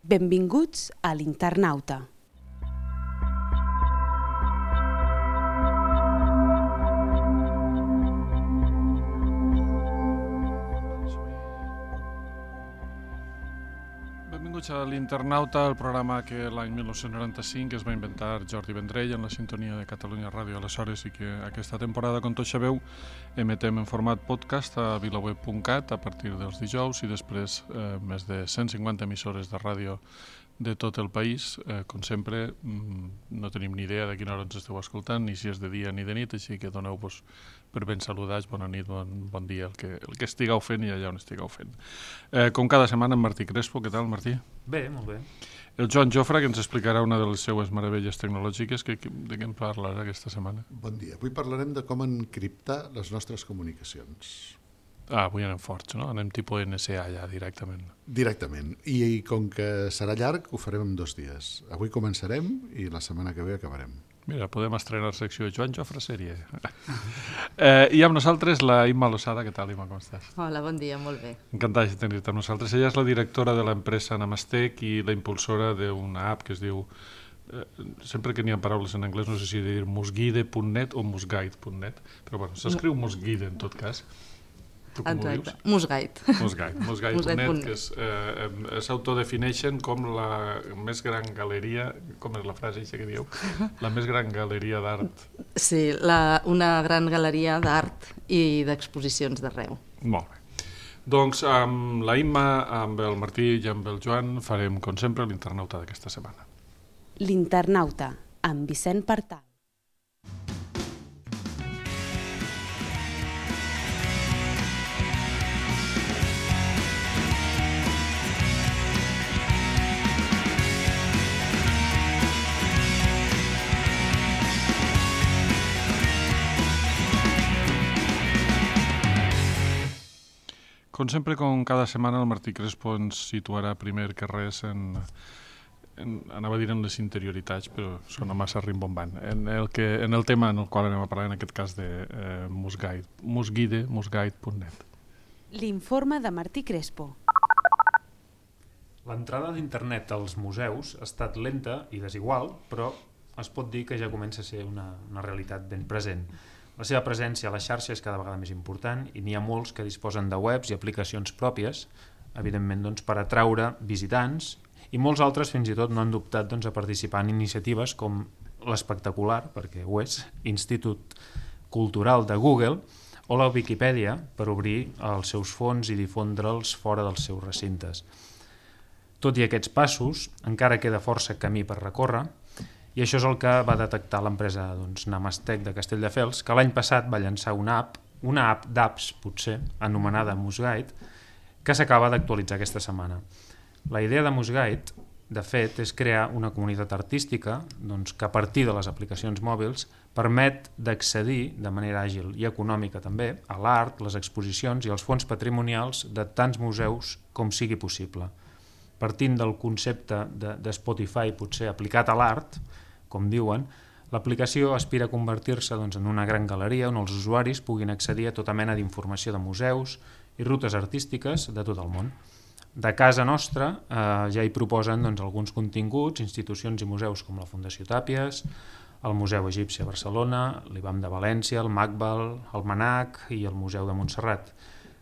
Benvinguts a l'Internauta. Benvinguts a l'Internauta, el programa que l'any 1995 es va inventar Jordi Vendrell en la sintonia de Catalunya Ràdio aleshores i que aquesta temporada, com tots sabeu, emetem en format podcast a vilaweb.cat a partir dels dijous i després més de 150 emissores de ràdio de tot el país. Com sempre, no tenim ni idea de quina hora ens esteu escoltant, ni si és de dia ni de nit, així que doneu-vos per ben saludats, bona nit, bon dia, el que estigueu fent i allà on estigueu fent. Com cada setmana, en Martí Crespo. Què tal, Martí? Bé, molt bé. El Joan Jofre, que ens explicarà una de les seues meravelles tecnològiques. De què en parlarà aquesta setmana? Bon dia. Avui parlarem de com encriptar les nostres comunicacions. Avui anem forts, no? Anem tipus NSA ja, directament. Directament. I com que serà llarg, ho farem en 2 dies. Avui començarem i la setmana que ve acabarem. Mira, podem estrenar la secció de Joan Jofre sèrie. I amb nosaltres la Imma Losada. Què tal, Imma, com estàs? Hola, bon dia, molt bé. Encantada de tenir-te amb nosaltres. Ella és la directora de l'empresa Namastec i la impulsora d'una app que es diu, sempre que n'hi ha paraules en anglès, no sé si dir musguide.net o musguide.net, però bueno, s'escriu musguide en tot cas. Exacte, Musguide. Musguide.net, que s'autodefineixen com la més gran galeria, com és la frase que diu, la més gran galeria d'art. Sí, una gran galeria d'art i d'exposicions d'arreu. Molt bé. Doncs amb la Imma, amb el Martí i amb el Joan farem, com sempre, l'Internauta d'aquesta setmana. L'Internauta, amb Vicent Partal. Com sempre, com cada setmana, el Martí Crespo ens situarà primer que res anava a dir en les interioritats, però sona massa rimbombant, en el tema en el qual anem a parlar, en aquest cas de musguide.net. L'informe de Martí Crespo. L'entrada d'internet als museus ha estat lenta i desigual, però es pot dir que ja comença a ser una realitat ben present. La seva presència a la xarxa és cada vegada més important i n'hi ha molts que disposen de webs i aplicacions pròpies, evidentment per atraure visitants, i molts altres fins i tot no han dubtat a participar en iniciatives com l'espectacular, perquè ho és, Institut Cultural de Google, o la Viquipèdia per obrir els seus fons i difondre'ls fora dels seus recintes. Tot i aquests passos, encara queda força camí per recórrer, i això és el que va detectar l'empresa Namastec de Castelldefels, que l'any passat va llançar una app d'apps, potser, anomenada Musguide, que s'acaba d'actualitzar aquesta setmana. La idea de Musguide, de fet, és crear una comunitat artística que a partir de les aplicacions mòbils permet d'accedir de manera àgil i econòmica també a l'art, les exposicions i els fons patrimonials de tants museus com sigui possible. Partint del concepte de Spotify potser aplicat a l'art, com diuen, l'aplicació aspira a convertir-se en una gran galeria on els usuaris puguin accedir a tota mena d'informació de museus i rutes artístiques de tot el món. De casa nostra ja hi proposen alguns continguts, institucions i museus com la Fundació Tàpies, el Museu Egipci a Barcelona, l'IBAM de València, el MACBAL, el MANAC i el Museu de Montserrat,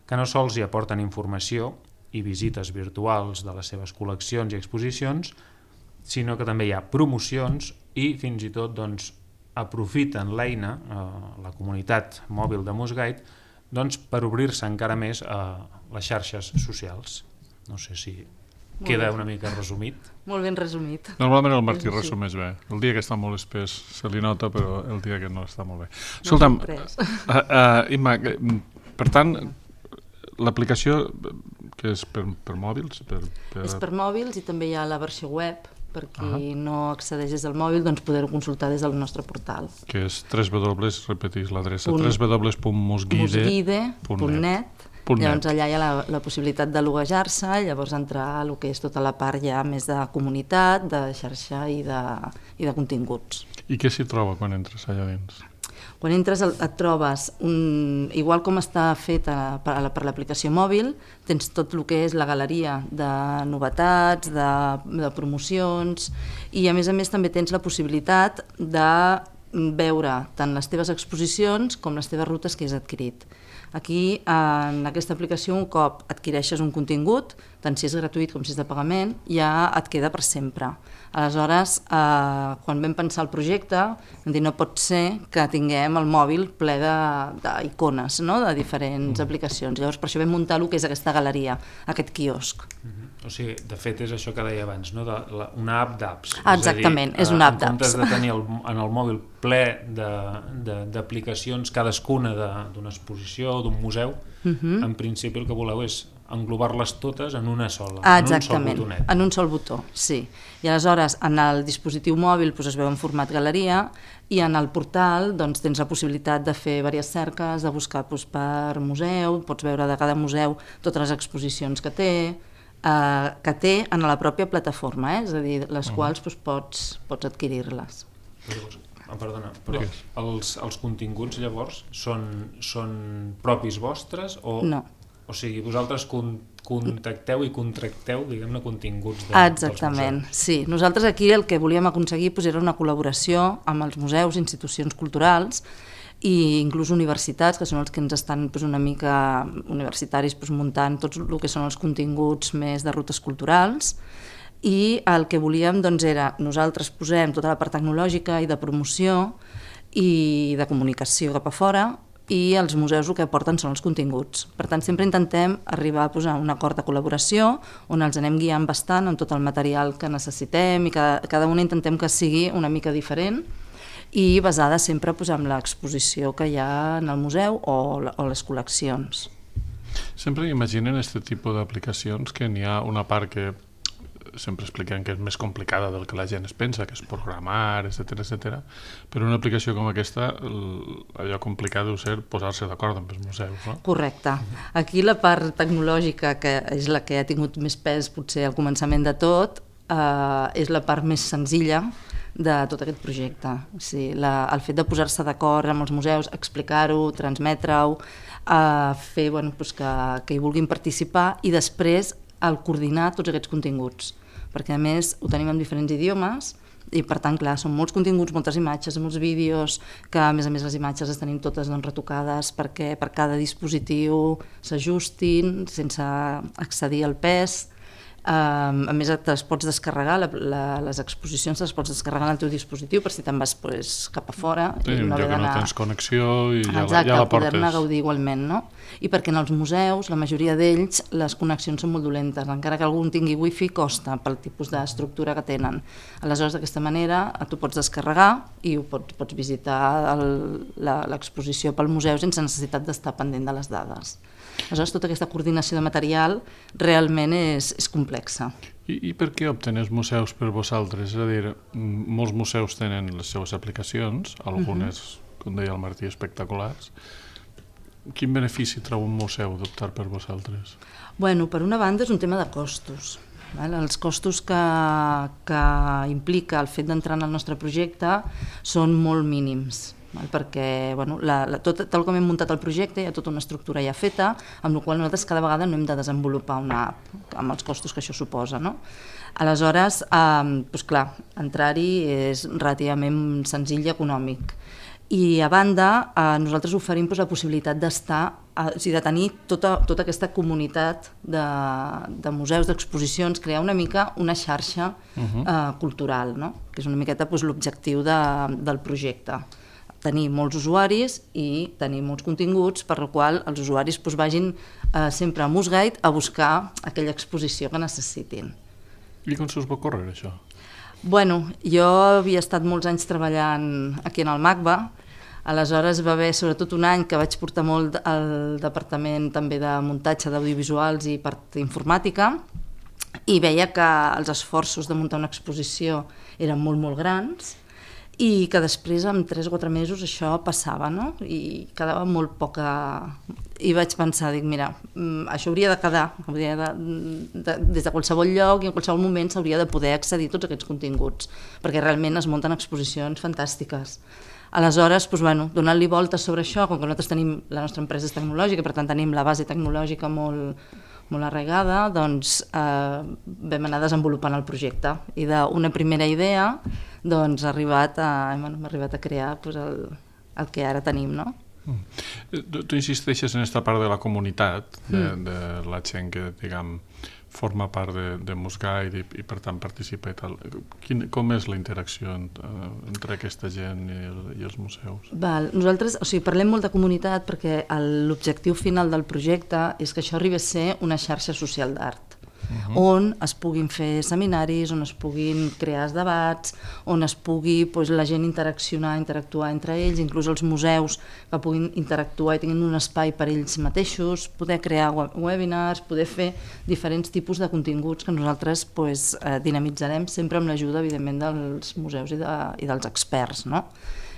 que no sols hi aporten informació i visites virtuals de les seves col·leccions i exposicions, sinó que també hi ha promocions i fins i tot aprofiten l'eina, la comunitat mòbil de Musguide, per obrir-se encara més a les xarxes socials. No sé si queda una mica resumit. Molt ben resumit. Normalment el Martí resumeix bé. El dia que està molt espès se li nota, però el dia que no està molt bé. Escolta'm, Imma, per tant, l'aplicació que és per mòbils? És per mòbils i també hi ha la versió web, per qui no accedeix des del mòbil, poder-ho consultar des del nostre portal. Que és repetís l'adreça, www.musguide.net. Llavors allà hi ha la possibilitat de loguejar-se, llavors entrar a el que és tota la part ja més de comunitat, de xarxa i de continguts. I què s'hi troba quan entres allà dins? Quan entres et trobes, igual com està feta per l'aplicació mòbil, tens tot el que és la galeria de novetats, de promocions, i a més també tens la possibilitat de veure tant les teves exposicions com les teves rutes que has adquirit. Aquí, en aquesta aplicació, un cop adquireixes un contingut, tant si és gratuït com si és de pagament, ja et queda per sempre. Aleshores, quan vam pensar el projecte, vam dir no pot ser que tinguem el mòbil ple d'icones, no? De diferents aplicacions. Llavors, per això vam muntar el que és aquesta galeria, aquest quiosc. O sigui, de fet, és això que deia abans, no? Una app d'apps. Exactament, és una app d'apps. En comptes de tenir en el mòbil ple d'aplicacions, cadascuna d'una exposició o d'un museu, en principi el que voleu és englobar-les totes en una sola, exactament, en un sol botó, sí. I aleshores, en el dispositiu mòbil es veu en format galeria i en el portal tens la possibilitat de fer diverses cerques, de buscar per museu, pots veure de cada museu totes les exposicions que té en la pròpia plataforma, és a dir, les quals pots adquirir-les. Perdona, però els continguts llavors són propis vostres o... No. O sigui, vosaltres contacteu i contracteu, diguem-ne, continguts Exactament, sí. Nosaltres aquí el que volíem aconseguir era una col·laboració amb els museus, institucions culturals i inclús universitats, que són els que ens estan una mica universitaris muntant tot el que són els continguts més de rutes culturals, i el que volíem era nosaltres posem tota la part tecnològica i de promoció i de comunicació cap a fora, i els museus el que aporten són els continguts. Per tant, sempre intentem arribar a un acord de col·laboració on els anem guiant bastant amb tot el material que necessitem i cada una intentem que sigui una mica diferent i basada sempre en l'exposició que hi ha en el museu o les col·leccions. Sempre imaginen aquest tipus d'aplicacions que n'hi ha una part que sempre expliquem que és més complicada del que la gent es pensa, que és programar, etc. Però una aplicació com aquesta, allò complicat deu ser posar-se d'acord amb els museus, no? Correcte. Aquí la part tecnològica, que és la que ha tingut més pes potser al començament de tot, és la part més senzilla de tot aquest projecte. O sigui, el fet de posar-se d'acord amb els museus, explicar-ho, transmetre-ho, fer que hi vulguin participar i després el coordinar tots aquests continguts, perquè a més ho tenim en diferents idiomes i per tant, clar, són molts continguts, moltes imatges, molts vídeos, que a més les imatges les tenim totes retocades perquè per cada dispositiu s'ajustin sense excedir el pes. A més, te les pots descarregar, les exposicions les pots descarregar en el teu dispositiu per si te'n vas cap a fora. Sí, un lloc que no tens connexió i ja la portes. Exacte, poder-ne gaudir igualment, no? I perquè en els museus, la majoria d'ells, les connexions són molt dolentes, encara que algú tingui wifi costa pel tipus d'estructura que tenen. Aleshores, d'aquesta manera, tu pots descarregar i pots visitar l'exposició pel museu sense necessitat d'estar pendent de les dades. Aleshores, tota aquesta coordinació de material realment és complexa. I per què opten els museus per vosaltres? És a dir, molts museus tenen les seves aplicacions, algunes, com deia el Martí, espectaculars. Quin benefici treu un museu d'optar per vosaltres? Bueno, per una banda és un tema de costos. Els costos que implica el fet d'entrar en el nostre projecte són molt mínims, perquè tal com hem muntat el projecte hi ha tota una estructura ja feta, amb la qual nosaltres cada vegada no hem de desenvolupar una app amb els costos que això suposa, no? Aleshores, clar, entrar-hi és relativament senzill i econòmic. I a banda, nosaltres oferim la possibilitat de tenir tota aquesta comunitat de museus, d'exposicions, crear una mica una xarxa cultural, no? Que és una miqueta l'objectiu del projecte. Tenir molts usuaris i tenir molts continguts per la qual els usuaris vagin sempre a Musguide a buscar aquella exposició que necessitin. I com se us va ocórrer això? Bueno, jo havia estat molts anys treballant aquí en el MACBA, aleshores va haver sobretot un any que vaig portar molt al departament també de muntatge d'audiovisuals i part informàtica i veia que els esforços de muntar una exposició eren molt, molt grans i que després, en 3 o 4 mesos, això passava, no? I quedava molt poca... I vaig pensar, mira, això hauria de quedar, des de qualsevol lloc i en qualsevol moment s'hauria de poder accedir a tots aquests continguts, perquè realment es munten exposicions fantàstiques. Aleshores, donant-li voltes sobre això, com que nosaltres tenim, la nostra empresa és tecnològica, per tant tenim la base tecnològica molt arraigada, doncs vam anar desenvolupant el projecte i d'una primera idea doncs hem arribat a crear el que ara tenim, no? Tu insisteixes en aquesta part de la comunitat, de la gent que, diguem, forma part de Mosguide i per tant participa i tal. Com és la interacció entre aquesta gent i els museus? Nosaltres parlem molt de comunitat perquè l'objectiu final del projecte és que això arribi a ser una xarxa social d'art, on es puguin fer seminaris, on es puguin crear debats, on es pugui la gent interactuar entre ells, inclús els museus que puguin interactuar i tinguin un espai per ells mateixos, poder crear webinars, poder fer diferents tipus de continguts que nosaltres dinamitzarem sempre amb l'ajuda, evidentment, dels museus i dels experts, no?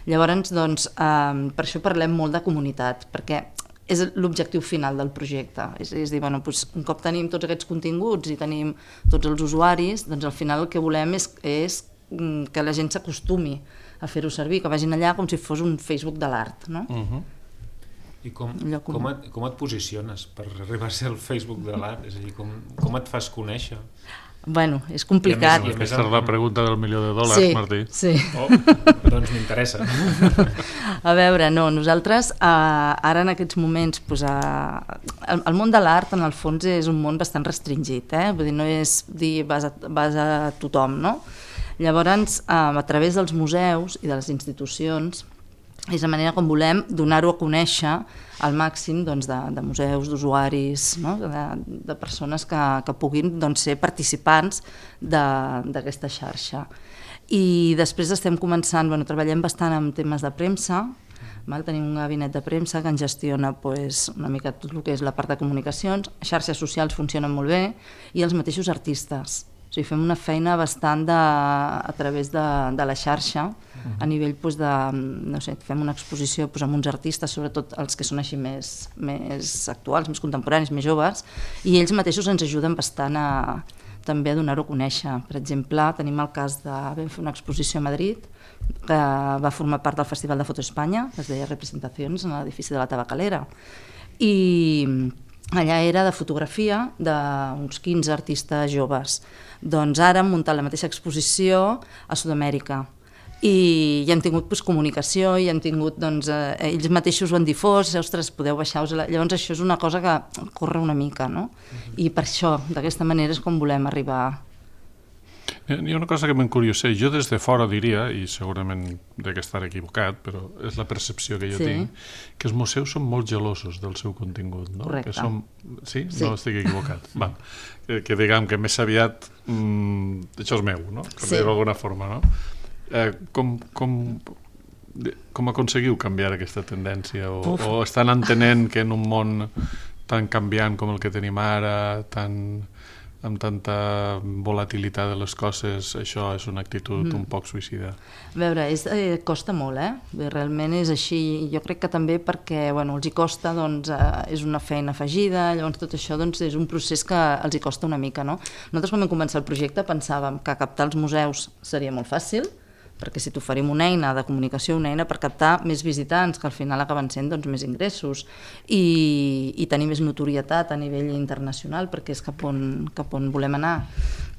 Llavors, per això parlem molt de comunitat, perquè és l'objectiu final del projecte. És dir, un cop tenim tots aquests continguts i tenim tots els usuaris, doncs al final el que volem és que la gent s'acostumi a fer-ho servir, que vagin allà com si fos un Facebook de l'art, no? I com et posiciones per arribar a ser el Facebook de l'art? És a dir, com et fas conèixer? És complicat. Aquesta és la pregunta del $1.000.000, Martí. Sí. Doncs m'interessa. A veure, nosaltres ara en aquests moments el món de l'art en el fons és un món bastant restringit, vull dir, no és dir vas a tothom, no? Llavors, a través dels museus i de les institucions és la manera com volem donar-ho a conèixer al màxim de museus, d'usuaris, de persones que puguin ser participants d'aquesta xarxa. I després estem començant, treballem bastant en temes de premsa, tenim un gabinet de premsa que ens gestiona una mica tot el que és la part de comunicacions, xarxes socials funcionen molt bé, i els mateixos artistes. O sigui, fem una feina bastant a través de la xarxa, a nivell fem una exposició amb uns artistes, sobretot els que són així més actuals, més contemporanis, més joves, i ells mateixos ens ajuden bastant també a donar-ho a conèixer. Per exemple, tenim el cas vam fer una exposició a Madrid que va formar part del Festival de Foto Espanya, que es deia Representacions en l'edifici de la Tabacalera, i allà era de fotografia d'uns 15 artistes joves. Doncs ara hem muntat la mateixa exposició a Sud-amèrica i hi han tingut comunicació, i han tingut, ells mateixos ho han difós, ostres, podeu baixar-vos. Llavors això és una cosa que corre una mica, no? I per això, d'aquesta manera és com volem arribar. Hi ha una cosa que m'encurioseix. Jo des de fora diria, i segurament dec estar equivocat, però és la percepció que jo tinc, que els museus són molt gelosos del seu contingut, no? Correcte. Sí? No estic equivocat. Que diguem que més aviat això és meu, no? Per dir-ho d'alguna forma, no? Com aconseguiu canviar aquesta tendència? O estan entenent que en un món tan canviant com el que tenim ara, amb tanta volatilitat de les coses, això és una actitud un poc suïcida? A veure, costa molt, realment és així. Jo crec que també perquè els hi costa, és una feina afegida, llavors tot això és un procés que els hi costa una mica, no? Nosaltres quan vam començar el projecte pensàvem que captar els museus seria molt fàcil, perquè si t'oferim una eina de comunicació, una eina per captar més visitants, que al final acaben sent més ingressos, i tenir més notorietat a nivell internacional, perquè és cap on volem anar.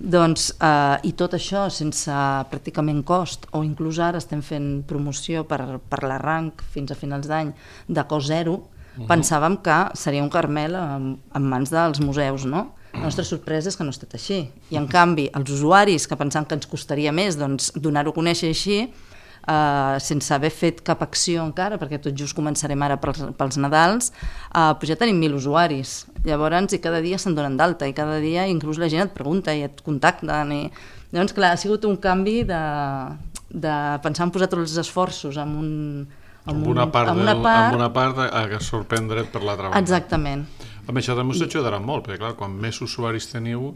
I tot això sense pràcticament cost, o inclús ara estem fent promoció per l'arranc fins a finals d'any de cost zero, pensàvem que seria un caramel en mans dels museus, no? La nostra sorpresa és que no ha estat així. I en canvi, els usuaris, que pensaven que ens costaria més donar-ho a conèixer així, sense haver fet cap acció encara, perquè tot just començarem ara pels Nadals, ja tenim 1.000 usuaris. Llavors, i cada dia se'n donen d'alta, i cada dia inclús la gent et pregunta i et contacten. Llavors, clar, ha sigut un canvi de pensar en posar tots els esforços en una part a sorprendre't per l'altra banda. Exactament. Això també us ajudarà molt, perquè clar, quan més usuaris teniu,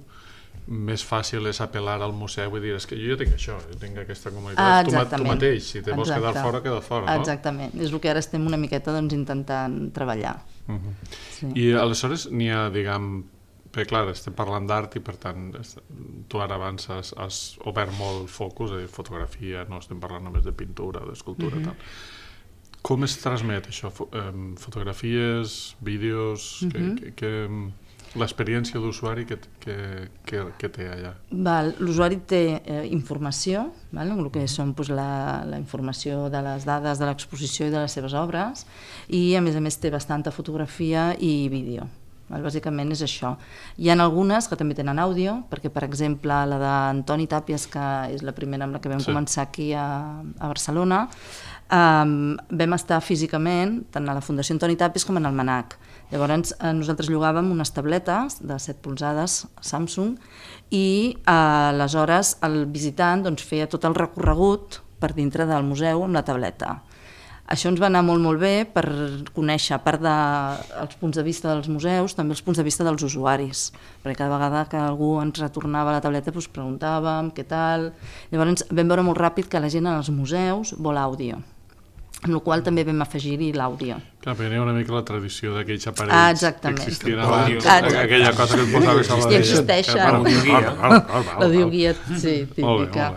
més fàcil és apel·lar al museu i dir, és que jo ja tinc això, jo tinc aquesta comunitat, tu mateix, si te vols quedar fora, queda fora, no? Exactament, és el que ara estem una miqueta intentant treballar. I aleshores n'hi ha, diguem, Perquè, clar, estem parlant d'art i, per tant, tu ara abans has obert molt el focus, fotografia, no estem parlant només de pintura o d'escultura, tal. Com es transmet això? Fotografies, vídeos, l'experiència d'usuari que té allà? L'usuari té informació, el que són la informació de les dades de l'exposició i de les seves obres, i a més té bastanta fotografia i vídeo. Bàsicament és això. Hi ha algunes que també tenen àudio, perquè per exemple la d'Antoni Tàpies, que és la primera amb la que vam començar aquí a Barcelona, vam estar físicament tant a la Fundació Antoni Tàpies com en el MNAC. Llavors nosaltres llogàvem unes tabletes de 7 polzades Samsung i aleshores el visitant feia tot el recorregut per dintre del museu amb la tableta. Això ens va anar molt bé per conèixer, a part dels punts de vista dels museus, també els punts de vista dels usuaris, perquè cada vegada que algú ens retornava la tableta preguntàvem què tal. Llavors vam veure molt ràpid que la gent als museus vol àudio, amb la qual també vam afegir-hi l'àudio. Clar, perquè hi ha una mica la tradició d'aquells aparells que existien abans, aquella cosa que et posaves a la i existeixen. L'audioguia, sí, típica.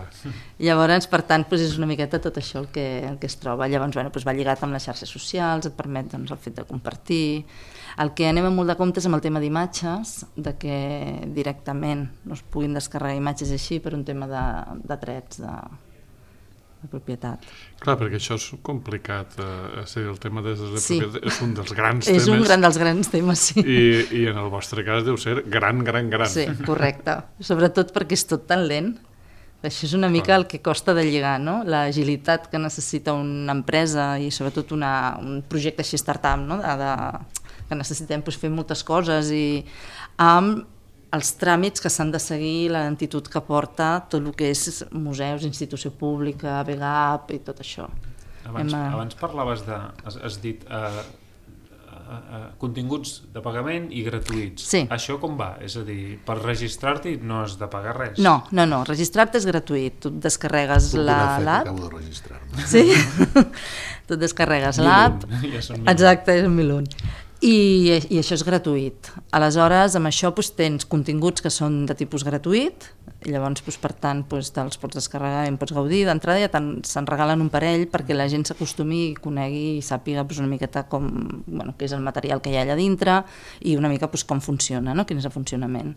Llavors, per tant, és una miqueta tot això el que es troba. Llavors, va lligat amb les xarxes socials, et permet el fet de compartir. El que anem amb molt de compte és amb el tema d'imatges, que directament no es puguin descarregar imatges així per un tema de drets de propietat. Clar, perquè això és complicat, el tema de propietat és un dels grans temes. És un dels grans temes, sí. I en el vostre cas deu ser gran. Sí, correcte. Sobretot perquè és tot tan lent. Això és una mica el que costa de lligar, no? L'agilitat que necessita una empresa i sobretot un projecte així startup, no? Que necessitem fer moltes coses i amb els tràmits que s'han de seguir, la lentitud que porta tot el que és museus, institució pública, BGAP i tot això. Abans parlaves has dit continguts de pagament i gratuïts. Sí. Això com va? És a dir, per registrar-t'hi no has de pagar res? No, registrar-te és gratuït. Tu descarregues l'app. Acabo de registrar-me. Sí? Tu descarregues l'app. Exacte, és 1001. I això és gratuït. Aleshores, amb això tens continguts que són de tipus gratuït, llavors, per tant, te'ls pots descarregar i en pots gaudir. D'entrada ja se'n regalen un parell perquè la gent s'acostumi i conegui i sàpiga una miqueta què és el material que hi ha allà dintre i una mica com funciona, quin és el funcionament.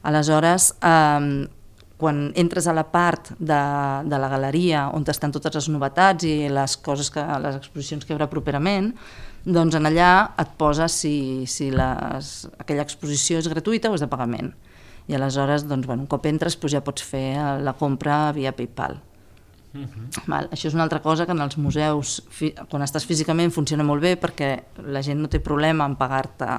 Aleshores, quan entres a la part de la galeria on estan totes les novetats i les exposicions que hi haurà properament, doncs en allà et posa si aquella exposició és gratuïta o és de pagament. I aleshores, un cop entres, ja pots fer la compra via PayPal. Això és una altra cosa que en els museus, quan estàs físicament, funciona molt bé perquè la gent no té problema en pagar-te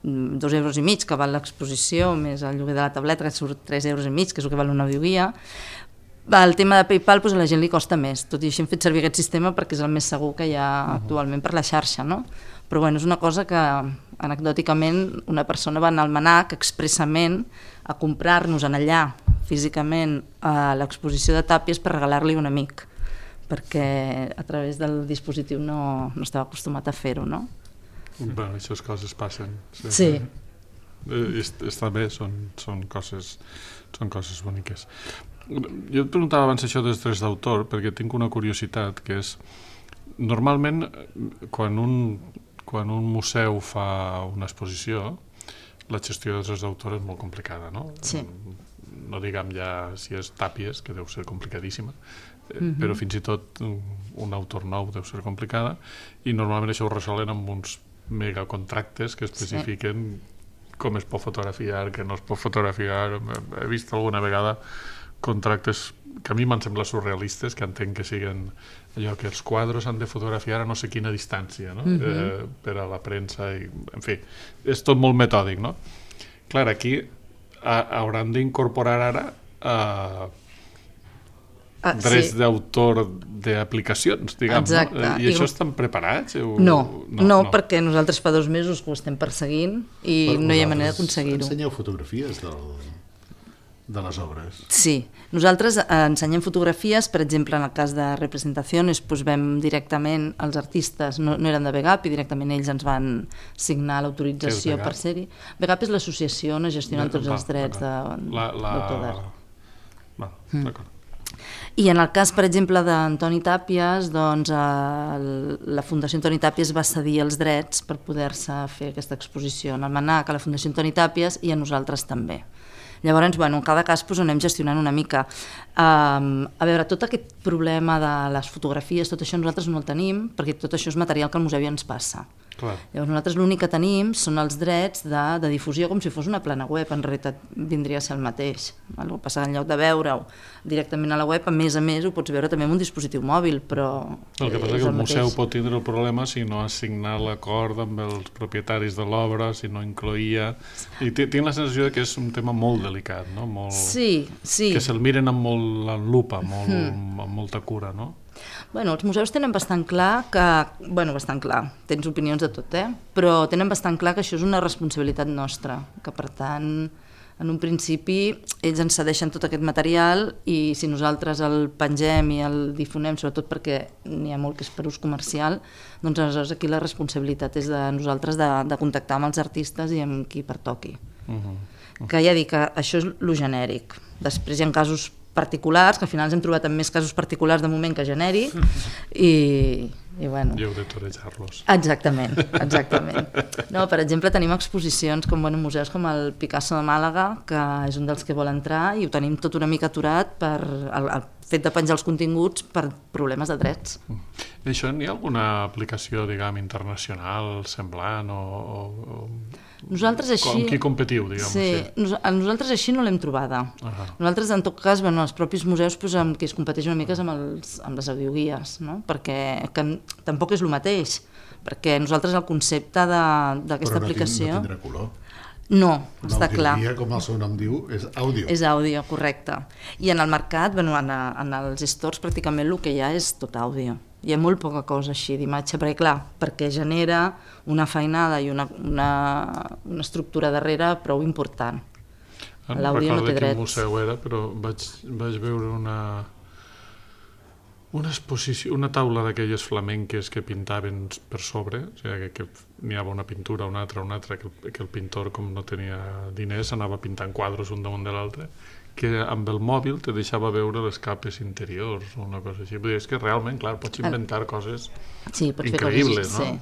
2,5 euros que val l'exposició, més el lloguer de la tableta, que surt 3,5 euros, que és el que val una audioguia. El tema de PayPal a la gent li costa més, tot i així hem fet servir aquest sistema perquè és el més segur que hi ha actualment per la xarxa, no? Però és una cosa que anecdòticament una persona va anar al MNAC expressament a comprar-nos en allà físicament a l'exposició de Tàpies per regalar-li un amic, perquè a través del dispositiu no estava acostumat a fer-ho, no? Bé, aquestes coses passen. Sí. Està bé, són coses boniques. Jo et preguntava abans això dels drets d'autor perquè tinc una curiositat, que és normalment quan un museu fa una exposició la gestió dels drets d'autor és molt complicada, no? Sí. No diguem ja si és Tàpies, que deu ser complicadíssima, però fins i tot un autor nou deu ser complicada i normalment això ho resolen amb uns megacontractes que especifiquen com es pot fotografiar, què no es pot fotografiar. He vist alguna vegada contractes que a mi m'han semblat surrealistes, que entenc que siguen allò que els quadres han de fotografiar a no sé quina distància, no? Per a la premsa i, en fi, és tot molt metòdic, no? Clar, aquí hauran d'incorporar ara drets d'autor d'aplicacions, diguem, no? I això estan preparats? No, perquè nosaltres fa 2 mesos que ho estem perseguint i no hi ha manera d'aconseguir-ho. Ensenyeu fotografies del... de les obres. Sí, nosaltres ensenyem fotografies, per exemple, en el cas de representacions, doncs vam directament, els artistes no eren de VGAP i directament ells ens van signar l'autorització per ser-hi. VGAP és l'associació on es gestionen tots els drets d'autor d'art. D'acord. I en el cas, per exemple, d'Antoni Tàpies, doncs la Fundació Antoni Tàpies va cedir els drets per poder-se fer aquesta exposició en el MNAC, a la Fundació Antoni Tàpies i a nosaltres també. Llavors, en cada cas anem gestionant una mica. A veure, tot aquest problema de les fotografies, tot això nosaltres no el tenim, perquè tot això és material que el museu ja ens passa. Clar. Llavors nosaltres l'únic que tenim són els drets de difusió, com si fos una plana web, en realitat vindria a ser el mateix. El que passa, en lloc de veure-ho directament a la web, a més ho pots veure també amb un dispositiu mòbil, però el que passa és que el museu pot tindre el problema si no ha signat l'acord amb els propietaris de l'obra, si no incloïa... I tinc la sensació que és un tema molt delicat, no? Sí. Que se'l miren amb molt en lupa, amb molta cura, no? Bueno, els museus tenen bastant clar que... bastant clar, tens opinions de tot, però tenen bastant clar que això és una responsabilitat nostra, que per tant, en un principi, ells ens cedeixen tot aquest material i si nosaltres el pengem i el difonem, sobretot perquè n'hi ha molt que és per ús comercial, doncs aleshores aquí la responsabilitat és de nosaltres de contactar amb els artistes i amb qui pertoqui. Que ja dic que això és lo genèric. Després hi ha casos particulars, que al final ens hem trobat amb més casos particulars de moment que genèric, i bueno... I heu de torejar-los. Exactament. No, per exemple, tenim exposicions com museus com el Picasso de Màlaga, que és un dels que vol entrar, i ho tenim tot una mica aturat per el fet de penjar els continguts per problemes de drets. Això n'hi ha alguna aplicació, diguem, internacional, semblant, o nosaltres així... Amb qui competiu, diguem així? Nosaltres així no l'hem trobada. Nosaltres, en tot cas, els propis museus amb qui es competeix una mica és amb les audioguies, no? Perquè tampoc és el mateix, perquè nosaltres el concepte d'aquesta aplicació... Però no tindrà color. No, està clar. L'audioguia, com el seu nom diu, és àudio. És àudio, correcte. I en el mercat, en els stores, pràcticament el que hi ha és tot àudio. Hi ha molt poca cosa així d'imatge, perquè genera una feinada i una estructura darrere prou important. L'àudio no té drets. No recordo quin museu era, però vaig veure una exposició, una taula d'aquelles flamenques que pintaven per sobre, o sigui, que n'hi havia una pintura, una altra, que el pintor, com no tenia diners, anava pintant quadres un damunt de l'altre, que amb el mòbil te deixava veure les capes interiors o una cosa així. És que realment, clar, pots inventar coses increïbles, no?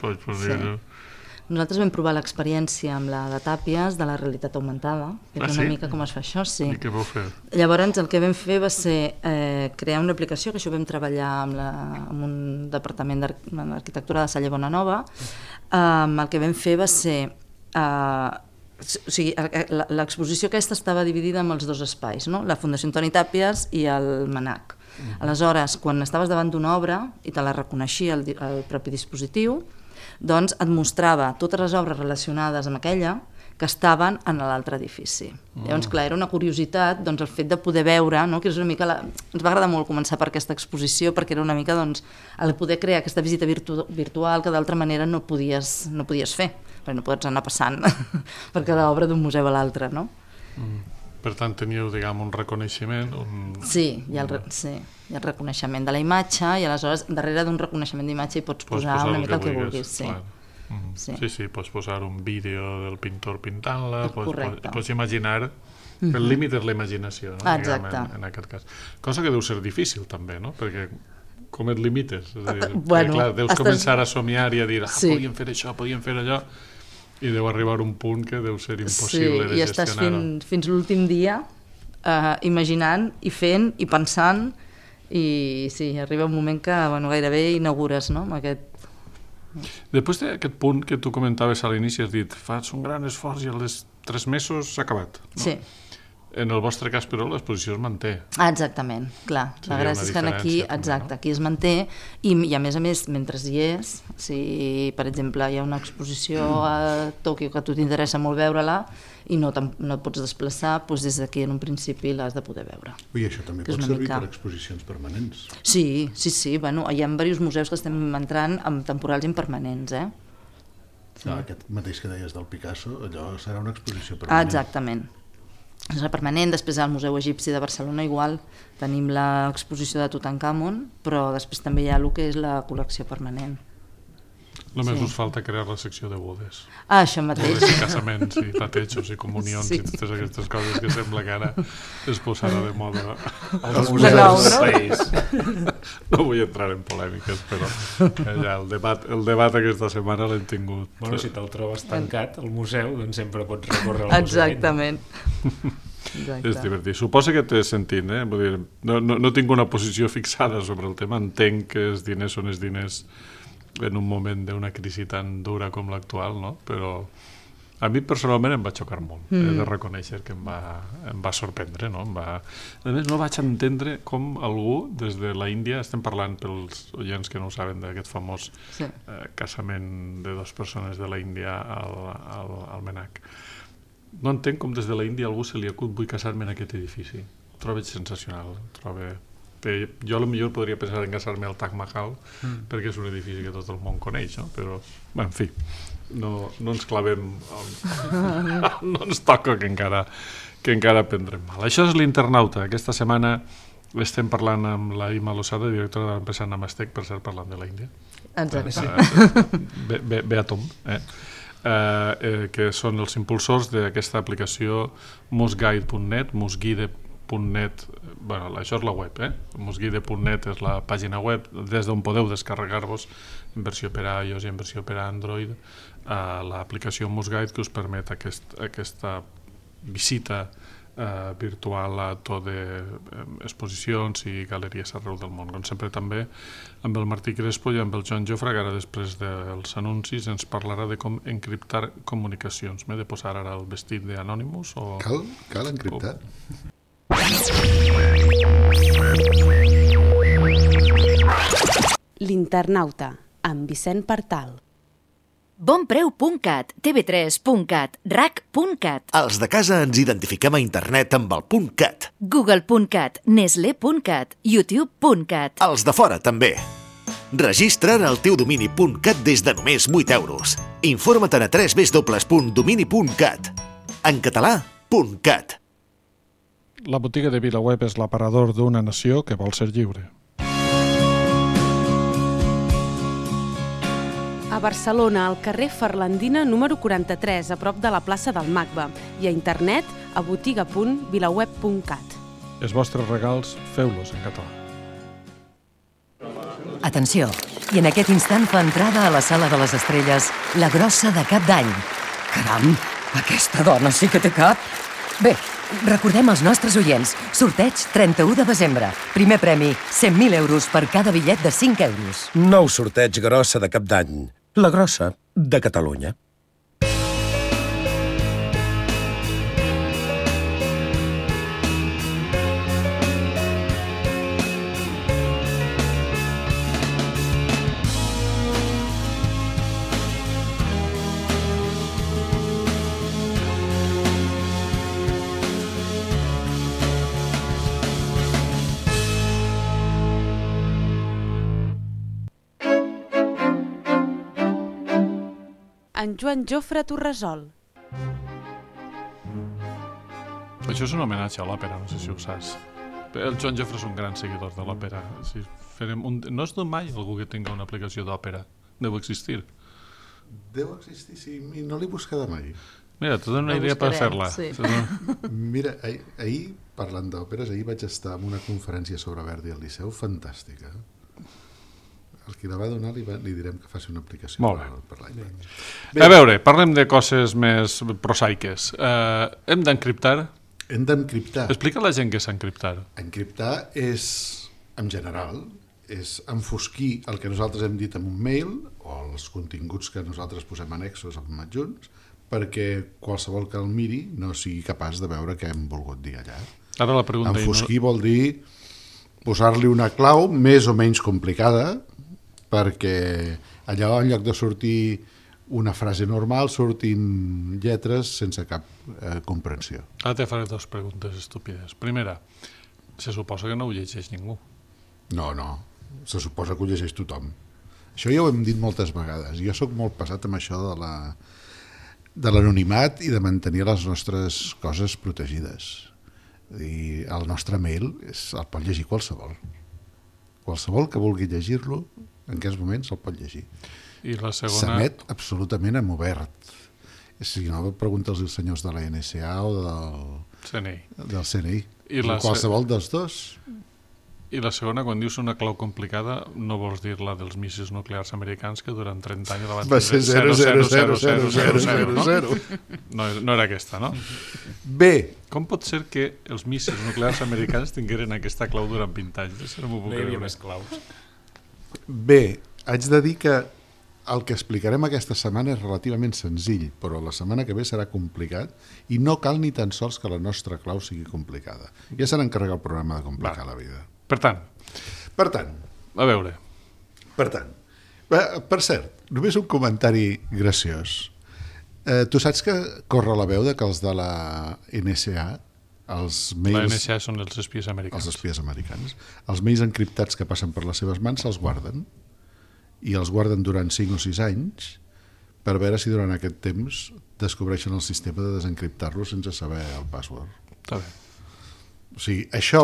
Nosaltres vam provar l'experiència amb la de Tàpies de la realitat augmentada, que és una mica com es fa això, sí. I què vau fer? Llavors el que vam fer va ser crear una aplicació, que això vam treballar amb un departament d'arquitectura de Salle Bonanova. El que vam fer va ser... O sigui, l'exposició aquesta estava dividida en els dos espais, no? La Fundació Antoni Tàpies i el MNAC. Aleshores, quan estaves davant d'una obra i te la reconeixia el propi dispositiu, doncs et mostrava totes les obres relacionades amb aquella que estaven en l'altre edifici. Llavors, clar, era una curiositat el fet de poder veure, que és una mica... Ens va agradar molt començar per aquesta exposició perquè era una mica el poder crear aquesta visita virtual que d'altra manera no podies fer, perquè no pots anar passant per cada obra d'un museu a l'altre, no? Per tant, teníeu, diguem, un reconeixement... Sí, hi ha el reconeixement de la imatge i aleshores darrere d'un reconeixement d'imatge hi pots posar una mica el que vulguis. Sí, pots posar un vídeo del pintor pintant-la, pots imaginar... El límit és la imaginació, en aquest cas. Cosa que deu ser difícil, també, no? Perquè com et limites? Clar, deus començar a somiar i a dir podíem fer això, podíem fer allò... I deu arribar un punt que deu ser impossible de gestionar. Sí, i estàs fins l'últim dia imaginant i fent i pensant i sí, arriba un moment que gairebé inaugures, no? Després d'aquest punt que tu comentaves a l'inici, has dit, fas un gran esforç i als 3 mesos s'ha acabat. Sí. En el vostre cas, però, l'exposició es manté. Exactament, clar. La gràcia és que aquí es manté i a més, mentre hi és, si per exemple hi ha una exposició a Tòquio que a tu t'interessa molt veure-la i no et pots desplaçar, doncs des d'aquí en un principi l'has de poder veure. I això també pot servir per exposicions permanents. Sí, hi ha diversos museus que estem entrant amb temporals impermanents, Aquest mateix que deies del Picasso, allò serà una exposició permanent. Exactament. permanent. Després al Museu Egipci de Barcelona igual tenim l'exposició de Tutankamon, però després també hi ha el que és la col·lecció permanent. Només us falta crear la secció de bodes. Això mateix. Bodes i casaments i patejos i comunions i totes aquestes coses que sembla que ara es posarà de moda. Els museus del país. No vull entrar en polèmiques, però ja el debat aquesta setmana l'hem tingut. Bueno, si te'l trobes tancat al museu, doncs sempre pots recórrer al museu. Exactament. És divertit. Suposo que t'he sentit, Vull dir, no tinc una posició fixada sobre el tema, entenc que els diners són els diners en un moment d'una crisi tan dura com l'actual, no? Però a mi personalment em va xocar molt. He de reconèixer que em va sorprendre, no? A més, no vaig entendre com algú des de la Índia, estem parlant pels oients que no ho saben d'aquest famós casament de dues persones de la Índia al Menac. No entenc com des de la Índia algú se li acut vull casar-me en aquest edifici. Ho trobo sensacional. Jo potser podria pensar en casar-me al Taj Mahal perquè és un edifici que tot el món coneix, no? Però, en fi, no ens clavem, no ens toca que encara prendrem mal. Això és l'Internauta. Aquesta setmana estem parlant amb la Ima Losada, directora de l'empresa Namastec, per cert, parlant de la Índia. Exacte. Beatom, que són els impulsors d'aquesta aplicació musguide.net, musguide.net, això és la web, musguide.net és la pàgina web des d'on podeu descarregar-vos en versió per a iOS i en versió per a Android l'aplicació Musguide, que us permet aquesta visita virtual a tot d'exposicions i galeries arreu del món. Com sempre també amb el Martí Crespo i amb el Joan Jofre, que ara després dels anuncis ens parlarà de com encriptar comunicacions. M'he de posar ara el vestit d'Anonymous? Cal encriptar? L'Internauta, amb Vicent Partal. Bonpreu.cat, tv3.cat, rac.cat, Els de casa ens identifiquem a internet amb el .cat. google.cat, nestle.cat, youtube.cat. Els de fora també. Registra't al teu domini .cat des de només 8 euros. Informa't a www.domini.cat. En català, .cat. La botiga de VilaWeb és l'aparador d'una nació que vol ser lliure. A Barcelona, al carrer Ferlandina número 43, a prop de la plaça del Magba, i a internet a botiga.vilaweb.cat. Els vostres regals, feu-los en català. Atenció, i en aquest instant fa entrada a la sala de les estrelles la grossa de Cap d'Any. Caram, aquesta dona sí que té cap. Bé, recordem als nostres oients, sorteig 31 de desembre. Primer premi, 100.000 euros per cada bitllet de 5 euros. Nou sorteig grossa de Cap d'Any. La grossa de Catalunya. En Joan Jofre Torresol. Això és un homenatge a l'òpera, no sé si ho saps. El Joan Jofre és un gran seguidor de l'òpera. Si no es dona mai algú que tinga una aplicació d'òpera. Deu existir. Deu existir, sí. I no l'he buscada mai. Mira, t'ho dono una idea per fer-la. Sí. Mira, ahir, parlant d'òperes, ahir vaig estar en una conferència sobre Verdi al Liceu, fantàstica. El que la va donar li direm que faci una aplicació per l'iPad. A veure, parlem de coses més prosaiques. Hem d'encriptar? Hem d'encriptar. Explica a la gent què és encriptar. Encriptar és, en general, és enfosquir el que nosaltres hem dit en un mail o els continguts que nosaltres posem annexos amb adjunts perquè qualsevol que el miri no sigui capaç de veure què hem volgut dir allà. Ara la pregunta... Enfosquir vol dir posar-li una clau més o menys complicada perquè allà en lloc de sortir una frase normal sortin lletres sense cap comprensió. Ara te faré dues preguntes estúpides. Primera, se suposa que no ho llegeix ningú. No, se suposa que ho llegeix tothom. Això ja ho hem dit moltes vegades. Jo sóc molt pesat amb això de la... de l'anonimat i de mantenir les nostres coses protegides. I el nostre mail el pot llegir qualsevol. Qualsevol que vulgui llegir-lo, en aquests moments el pot llegir. I la segona... S'emet absolutament en obert. Si no, pregunta'ls als senyors de la NSA o del CNI. I qualsevol dels dos. I la segona, quan dius una clau complicada, no vols dir la dels míssils nuclears americans que durant 30 anys la van va ser 0. No era aquesta, no? Bé. Com pot ser que els míssils nuclears americans tingueren aquesta clau durant 20 anys? No hi havia més claus. Bé, haig de dir que el que explicarem aquesta setmana és relativament senzill, però la setmana que ve serà complicat i no cal ni tan sols que la nostra clau sigui complicada. Ja se n'encarrega el programa de complicar la vida. Per tant, a veure. Per cert, només un comentari graciós. Tu saps que corre la veu de que els de la NSA, els mails... La NSA són els espies americans. Els espies americans. Els mails encriptats que passen per les seves mans se'ls guarden. I els guarden durant 5 o 6 anys per veure si durant aquest temps descobreixen el sistema de desencriptar-lo sense saber el password. Està bé. O sigui, això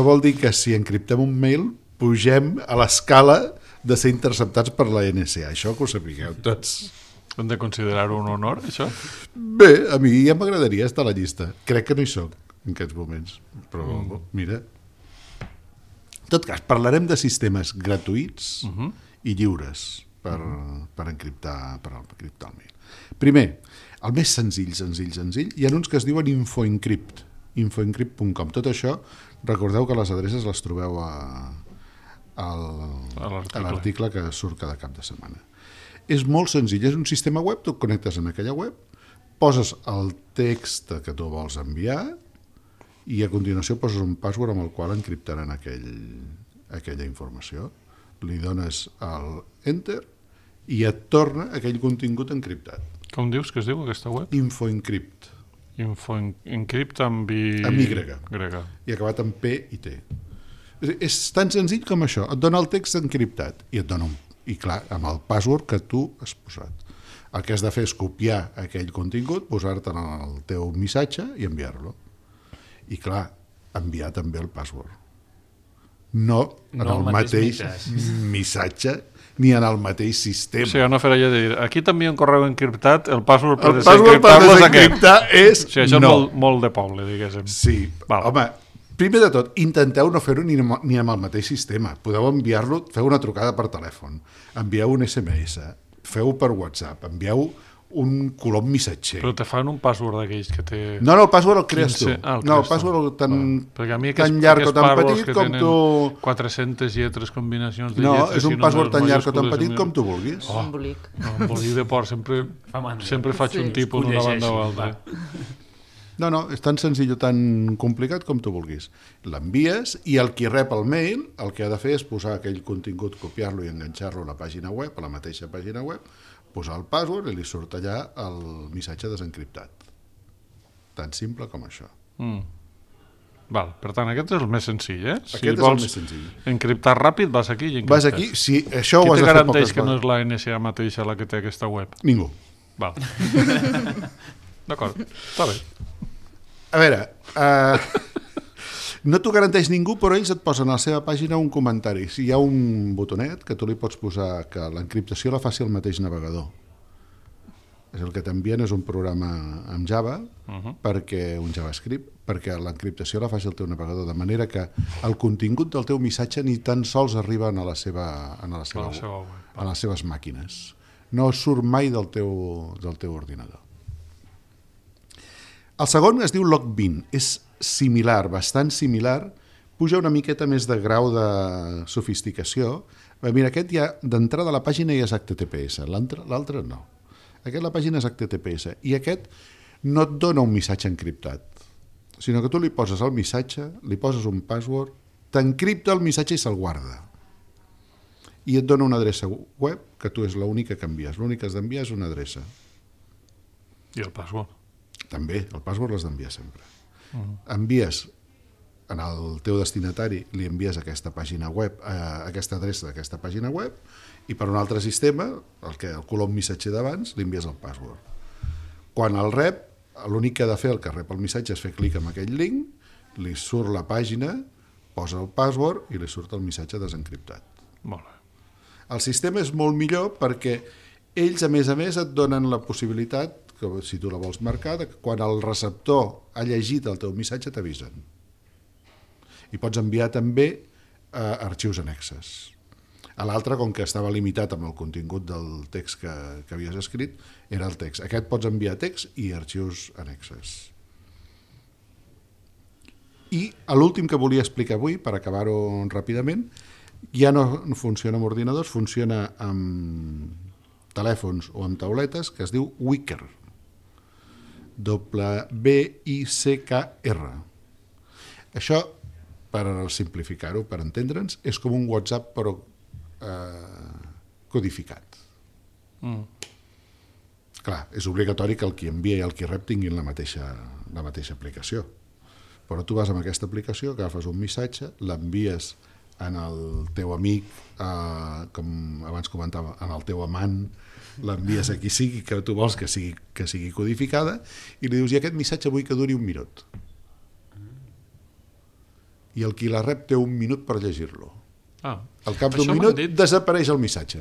vol dir que si encriptem un mail pugem a l'escala de ser interceptats per la NSA. Això que ho sapigueu tots. Hem de considerar-ho un honor, això? Bé, a mi ja m'agradaria estar a la llista. Crec que no hi soc en aquests moments. Però mira... En tot cas, parlarem de sistemes gratuïts i lliures per encriptar el mail. Primer, el més senzill, hi ha uns que es diuen InfoEncrypt, infoencrypt.com. Tot això, recordeu que les adreces les trobeu a l'article que surt cada cap de setmana. És molt senzill, és un sistema web, tu et connectes en aquella web, poses el text que tu vols enviar i a continuació poses un password amb el qual encriptaran aquella informació. Li dones el enter i et torna aquell contingut encriptat. Com dius que es diu aquesta web? InfoEncrypt. InfoEncrypt amb Y. Amb Y. I acabat amb P i T. És tan senzill com això. Et dona el text encriptat i et dona i clar, amb el password que tu has posat. El que has de fer és copiar aquell contingut, posar-te en el teu missatge i enviar-lo. I clar, enviar també el password. No en el mateix missatge ni en el mateix sistema. O sigui, no fer allò de dir, aquí t'envia un correu encriptat, el password per desencriptar és o sigui, això no. És molt de poble, diguéssim. Sí, home, primer de tot, intenteu no fer-ho ni amb el mateix sistema. Podeu enviar-lo, feu una trucada per telèfon, envieu un SMS, feu per WhatsApp, envieu un colom missatger. Però te fan un password d'aquells que té... No, el password el crees tu. No, el password tan llarg o tan petit com tu... 400 lletres, combinacions de lletres... No, és un password tan llarg o tan petit com tu vulguis. Embolic. Embolic de por, sempre faig un tipus d'una banda o altra. No, és tan senzill o tan complicat com tu vulguis. L'envies i el qui rep el mail el que ha de fer és posar aquell contingut, copiar-lo i enganxar-lo a la pàgina web, a la mateixa pàgina web, posar el password i li surt allà el missatge desencriptat. Tan simple com això. Val, per tant, aquest és el més senzill, eh? Aquest és el més senzill. Encriptar ràpid, vas aquí i encriptes. Vas aquí, sí, això ho has de fer poques vegades. Qui te garanteix que no és la NSA mateixa la que té aquesta web? Ningú. Val. D'acord, està bé. A veure, no t'ho garanteix ningú, però ells et posen a la seva pàgina un comentari. Si hi ha un botonet que tu li pots posar que l'encriptació la faci el mateix navegador. El que t'envien és un programa amb Java, perquè un JavaScript, perquè l'encriptació la faci el teu navegador, de manera que el contingut del teu missatge ni tan sols arriba a les seves màquines. No surt mai del teu ordinador. El segon es diu Logbean, és similar, bastant similar, puja una miqueta més de grau de sofisticació. Mira, aquest ja d'entrada a la pàgina ja és HTTPS, l'altre no. La pàgina és HTTPS i aquest no et dona un missatge encriptat, sinó que tu li poses el missatge, li poses un password, t'encripta el missatge i se'l guarda. I et dona una adreça web que tu és l'única que envies. L'únic que has d'enviar és una adreça. I el password? També, el password l'has d'enviar sempre. Envies en el teu destinatari li envies aquesta pàgina web, aquesta adreça d'aquesta pàgina web, i per un altre sistema, el colom missatger d'abans, li envies el password. Quan el rep, l'únic que ha de fer el que rep el missatge és fer clic en aquell link, li surt la pàgina, posa el password i li surt el missatge desencriptat. Molt bé. El sistema és molt millor perquè ells, a més, et donen la possibilitat, que si tu la vols marcar, que quan el receptor ha llegit el teu missatge t'avisen. I pots enviar també arxius annexes. A l'altre, com que estava limitat amb el contingut del text que havies escrit, era el text. Aquest pots enviar text i arxius annexes. I l'últim que volia explicar avui, per acabar-ho ràpidament, ja no funciona amb ordinadors, funciona amb telèfons o amb tauletes, que es diu Wickr. W-I-C-K-R. Això, per simplificar-ho, per entendre'ns, és com un WhatsApp però codificat. Clar, és obligatori que el qui envia i el qui rep tinguin la mateixa aplicació. Però tu vas amb aquesta aplicació, agafes un missatge, l'envies en el teu amic, com abans comentava, en el teu amant, l'envies a qui sigui que tu vols que sigui codificada, i li dius, i aquest missatge vull que duri 1 minut. I el qui la rep té 1 minut per llegir-lo. Al cap d'1 minut desapareix el missatge.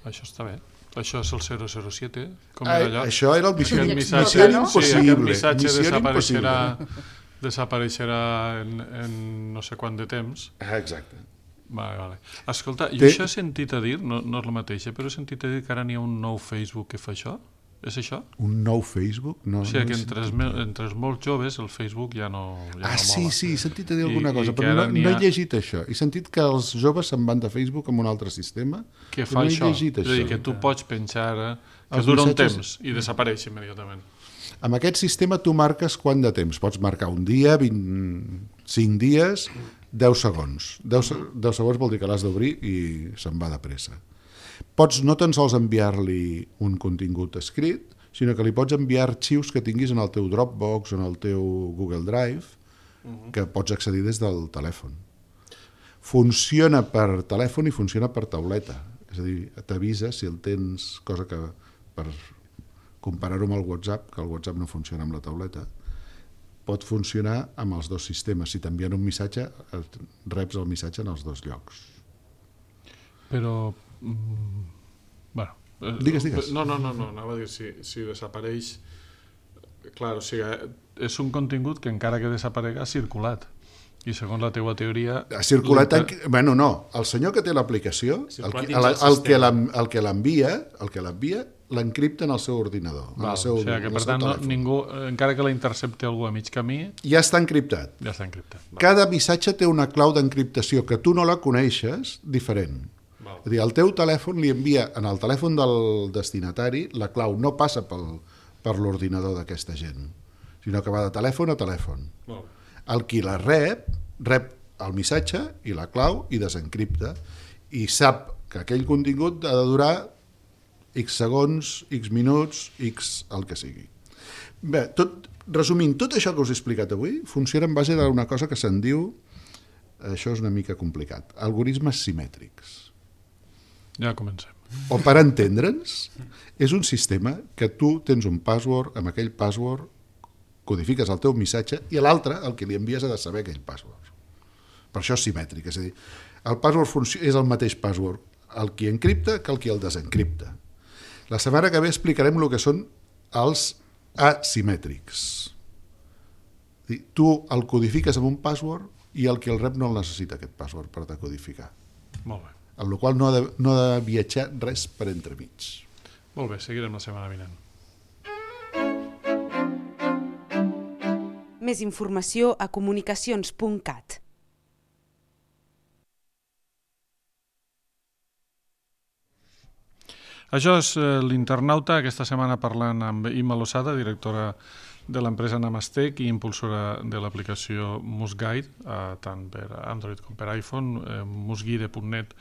Això està bé. Això és el 007, com era allò? Això era el Missió Impossible. Sí, aquest missatge desapareixerà en no sé quant de temps. Exacte. Vale. Escolta, jo això he sentit a dir, no és el mateix, però he sentit a dir que ara n'hi ha un nou Facebook que fa això. És això? Un nou Facebook? O sigui que entre els molts joves el Facebook ja no mola. Sí, he sentit a dir alguna cosa, però no he llegit això. He sentit que els joves se'n van de Facebook amb un altre sistema. Que fa això? És a dir, que tu pots penjar que dura un temps i desapareix immediatament. Amb aquest sistema tu marques quant de temps. Pots marcar un dia, 25 dies, 10 segons. 10 segons vol dir que l'has d'obrir i se'n va de pressa. Pots no tan sols enviar-li un contingut escrit, sinó que li pots enviar arxius que tinguis en el teu Dropbox o en el teu Google Drive, que pots accedir des del telèfon. Funciona per telèfon i funciona per tauleta. És a dir, t'avisa si el tens, cosa que per comparar-ho amb el WhatsApp, que el WhatsApp no funciona amb la tauleta, pot funcionar amb els dos sistemes. Si t'envien un missatge, reps el missatge en els dos llocs. Però... bueno, digues. No, anava a dir, si desapareix... Clar, o sigui, és un contingut que encara que desaparega ha circulat. I segons la teua teoria... Ha circulat... Bueno, no. El senyor que té l'aplicació, el que l'envia, l'encripta en el seu ordinador. O sigui que, per tant, ningú, encara que la intercepti algú a mig camí... Ja està encriptat. Cada missatge té una clau d'encriptació que tu no la coneixes diferent. És a dir, el teu telèfon li envia en el telèfon del destinatari, la clau no passa per l'ordinador d'aquesta gent, sinó que va de telèfon a telèfon. El qui la rep el missatge i la clau i desencripta i sap que aquell contingut ha de durar X segons, X minuts, X el que sigui. Bé, resumint, tot això que us he explicat avui funciona en base d'una cosa que se'n diu, això és una mica complicat, algoritmes simètrics. Ja comencem. O per entendre'ns, és un sistema que tu tens un password, amb aquell password codifiques el teu missatge i l'altre, el que li envies, ha de saber aquell password. Per això és simètric, és a dir, el password és el mateix password el qui encripta que el qui el desencripta. La setmana que ve explicarem el que són els asimètrics. Tu el codifiques amb un password i el que el rep no el necessita, aquest password, per decodificar. Molt bé. Amb la qual cosa no ha de viatjar res per entremig. Molt bé, seguirem la setmana vinent. Més informació a comunicacions.cat. Això és l'Internauta, aquesta setmana parlant amb Imma Losada, directora de l'empresa Namastec i impulsora de l'aplicació Musguide, tant per Android com per iPhone, musguide.net,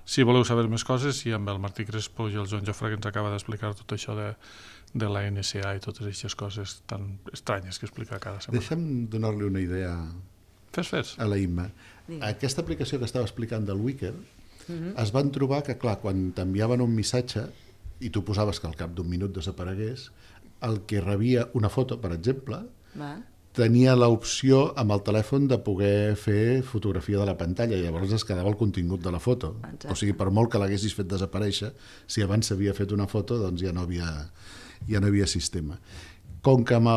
si voleu saber més coses, i amb el Martí Crespo i el Joan Jofre, que ens acaba d'explicar tot això de la NSA i totes aquestes coses tan estranyes que explica cada setmana. Deixa'm donar-li una idea Fes. A la Imma. Aquesta aplicació que estava explicant del Wicker, es van trobar que, clar, quan t'enviaven un missatge i tu posaves que al cap d'un minut desaparegués, el que rebia una foto, per exemple, tenia l'opció amb el telèfon de poder fer fotografia de la pantalla i llavors es quedava el contingut de la foto. Exacte. O sigui, per molt que l'haguessis fet desaparèixer, si abans s'havia fet una foto, doncs ja no havia sistema. Com que amb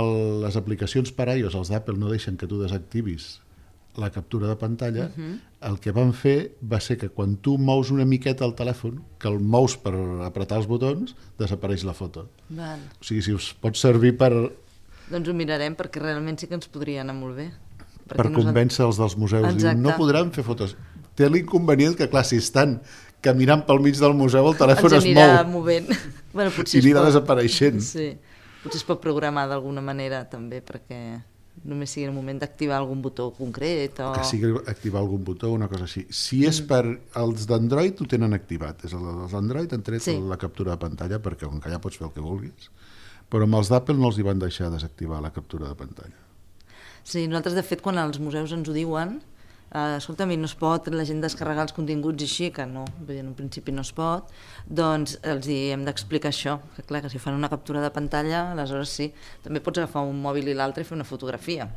les aplicacions per iOS, els d'Apple no deixen que tu desactivis la captura de pantalla, el que van fer va ser que quan tu mous una miqueta el telèfon, que el mous per apretar els botons, desapareix la foto. Val. O sigui, si us pot servir per... Doncs ho mirarem, perquè realment sí que ens podria anar molt bé. Per convèncer els dels museus. Diuen, no podran fer fotos. Té l'inconvenient que, clar, si estan caminant pel mig del museu, el telèfon es mou. Ens anirà movent. Bueno, i anirà desapareixent. Sí. Potser es pot programar d'alguna manera, també, perquè només sigui el moment d'activar algun botó concret. O que sigui activar algun botó, una cosa així. Si és per... Els d'Android ho tenen activat. Els d'Android han tret la captura de pantalla, perquè com que ja pots fer el que vulguis. Però amb els d'Apple no els hi van deixar desactivar la captura de pantalla. Sí, nosaltres, de fet, quan els museus ens ho diuen, escolta, a mi no es pot la gent descarregar els continguts així, que no, en un principi no es pot, doncs els hem d'explicar això, que clar, que si fan una captura de pantalla, aleshores sí, també pots agafar un mòbil i l'altre i fer una fotografia.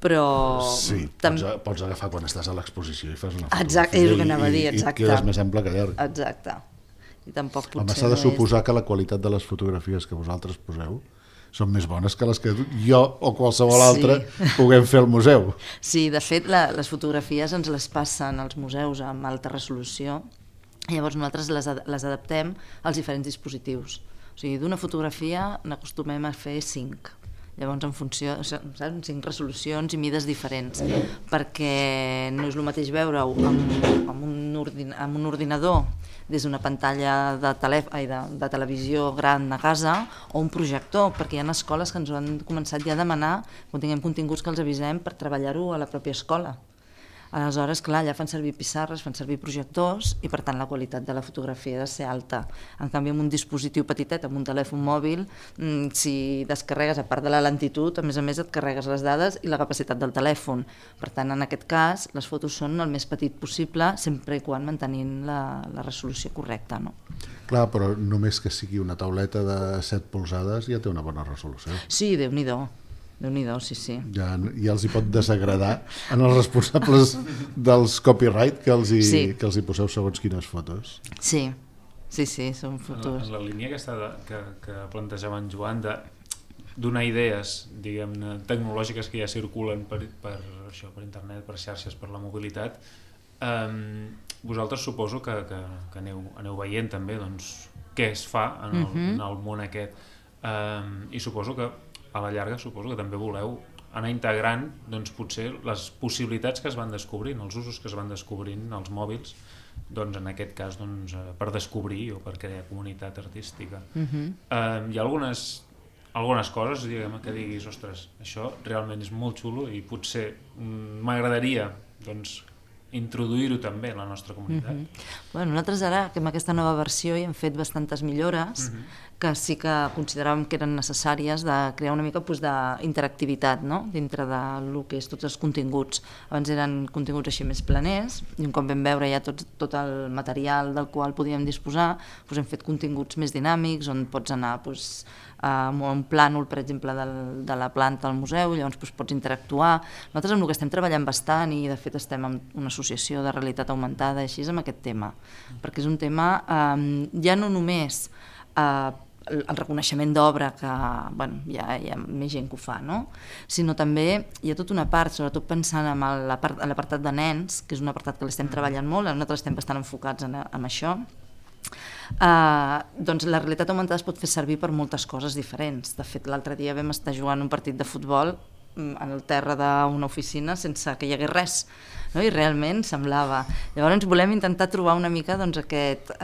Però... Sí, pots agafar quan estàs a l'exposició i fas una fotografia. Exacte, és el que anava a dir, exacte. I quedes més ample que llarg. Exacte. I tampoc potser home, s'ha de suposar que la qualitat de les fotografies que vosaltres poseu són més bones que les que jo o qualsevol altre puguem fer al museu. Sí, de fet, les fotografies ens les passen als museus amb alta resolució i llavors nosaltres les adaptem als diferents dispositius. O sigui, d'una fotografia n'acostumem a fer 5. Llavors, en funció, saps? 5 resolucions i mides diferents, perquè no és el mateix veure-ho amb un ordinador des d'una pantalla de televisió gran a casa o un projector, perquè hi ha escoles que ens ho han començat ja a demanar quan tinguem continguts que els avisem per treballar-ho a la pròpia escola. Aleshores, clar, allà fan servir pissarres, fan servir projectors i per tant la qualitat de la fotografia ha de ser alta. En canvi, amb un dispositiu petitet, amb un telèfon mòbil, si descarregues, a part de la lentitud, a més et carregues les dades i la capacitat del telèfon. Per tant, en aquest cas, les fotos són el més petit possible, sempre i quan mantenint la resolució correcta, no? Clar, però només que sigui una tauleta de 7 polzades ja té una bona resolució. Sí, Déu-n'hi-do. Déu-n'hi-do, sí. Ja els hi pot desagradar en els responsables dels copyright que els hi poseu segons quines fotos. Sí, són fotos. En la línia que plantejava en Joan de donar idees, diguem-ne, tecnològiques que ja circulen per internet, per xarxes, per la mobilitat, vosaltres suposo que aneu veient també què es fa en el món aquest, i suposo que a la llarga que també voleu anar integrant potser les possibilitats que es van descobrint, els usos que es van descobrint als mòbils, en aquest cas per descobrir o per crear comunitat artística. Hi ha algunes coses que diguis, ostres, això realment és molt xulo i potser m'agradaria introduir-ho també en la nostra comunitat. Nosaltres ara, que amb aquesta nova versió hi hem fet bastantes millores que sí que consideràvem que eren necessàries de crear una mica d'interactivitat dintre del que és tots els continguts. Abans eren continguts així més planers i un cop vam veure ja tot el material del qual podíem disposar, hem fet continguts més dinàmics on pots anar amb un plànol, per exemple, de la planta al museu, llavors pots interactuar. Nosaltres amb el que estem treballant bastant, i de fet estem en una associació de realitat augmentada així, amb aquest tema, perquè és un tema ja no només el reconeixement d'obra, que hi ha més gent que ho fa, sinó també hi ha tota una part, sobretot pensant en l'apartat de nens, que és un apartat que l'estem treballant molt, nosaltres estem bastant enfocats en això. La realitat augmentada es pot fer servir per moltes coses diferents. De fet, l'altre dia vam estar jugant un partit de futbol en el terra d'una oficina sense que hi hagués res, i realment semblava. Llavors volem intentar trobar una mica